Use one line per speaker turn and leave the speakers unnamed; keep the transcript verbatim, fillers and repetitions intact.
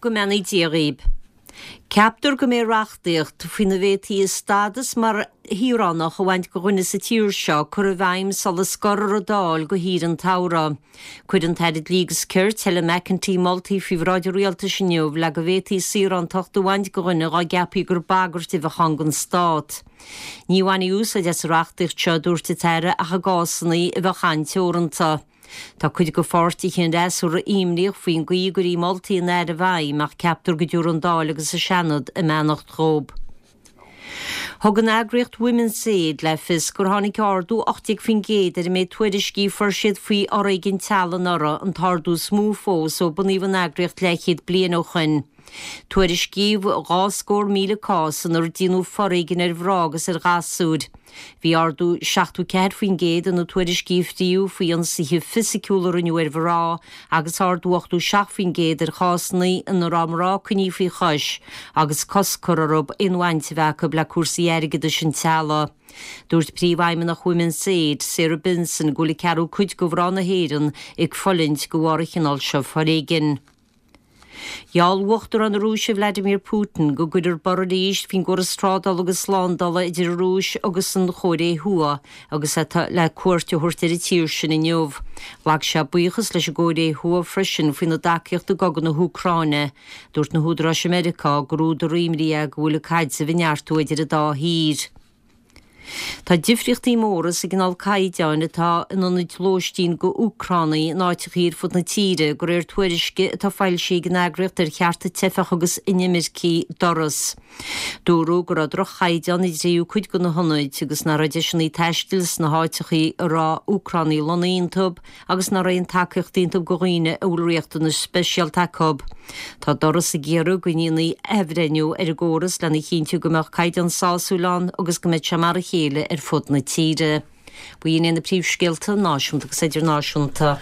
Go mbeannaí Dia dhaoib. Ceaptar go mbeidh reachtaíocht faoina bhféadfaí stádas mar shaoránach a bhaint de dhuine sa tír seo curtha i bhfeidhm sula scorfar an Dáil go shaoire an tsamhraidh. Chuir an tAire Dlí agus Cirt, Helen McEntee, moltaí faoi bhráid an rialtais inniu le go bhféadfaí saorántacht a bhaint de dhuine dá gceapfaí gur bagairt a bheadh ann don stát. Ní bhainfí úsáid as an reachtaíocht seo, a dúirt an tAire, ach i gcásanna a bheadh an-teoranta. Tá cuid de pháirtithe an fhreasúra imníoch faoin gcaoi a gcuirfí moltaí an Aire i bhfeidhm ach ceaptar go dtabharfaidh an Dáil agus an Seanad a mbeannacht dhóibh. Thug an eagraíocht Women's Aid le fios gur tháinig ardú ocht déag faoin gcéad ar an méid tuairiscí a fuair siad faoi fhoréigean teaghlaigh anuraidh, an t-ardú is mó fós ó bunaíodh an eagraíocht leathchéad bliain ó shoin. Tuairiscíodh dhá scór míle cás inar déanadh foréigean ar mhná agus ar ghasúir. Bhí ardú seachtó ceathair faoin gcéad ina tuairiscí a fríodh faoi ionsaithe fisiciúla a rinneadh ar mhná agus ardú ochtó seacht faoin gcéad ar chásanna ina raibh mná coinnithe faoi chois agus cosc curtha orthu aon bhaint a bheith acu le cúrsaí airgeadais an teaghlaigh. Dúirt Príomhfheidhmeannach Women's Aid, Sarah Benson, go bhfuil an ceathrú cuid de mhná na hÉireann ag fulaingt de bharr an chineál seo foréigin. Gheall Uachtarán na Rúise Vladimir Putin go gcuirfear borradh arís faoin gcóras trádála agus slándála idir an Rúis agus an Chóiré Thuaidh agus é le cuairt a thabhairt ar an tír sin inniu. Ghlac sé buíochas leis an gCóiré Thuaidh freisin faoina dtacaíocht i gcogadh na hÚcráine. Dúirt na húdaráis i Meiriceá gur údar imní é go bhfuil an caidreamh ag neartú idir an dá thír. Tá difríochtaí móra sa gcineál caighdeáin atá in ionaid lóistín go Úcránaigh in áiteachaí ar fud na tíre, de réir tuairisce atá foilsithe ag an eagraíocht ar chearta teifeach agus inimircigh, Doras. Dúradh go raibh droch-chaighdeán i dtríú cuid de na hionaid agus nach raibh deiseanna taistil sna háiteachaí a raibh Úcránaigh lonnaithe iontu agus nach raibh aon tacaíocht iontu go dhaoine a bhfuil riachtanais speisialta acu. Tá Doras ag iarraidh go ndéanfaí athbhreithniú ar an gcóras lena chinntiú go mbeadh caighdeán sásúil ann agus go mbeadh sé mar a chéile ar fud na tíre. B'in iad na príomhscéalta náisiúnta agus idirnáisiúnta.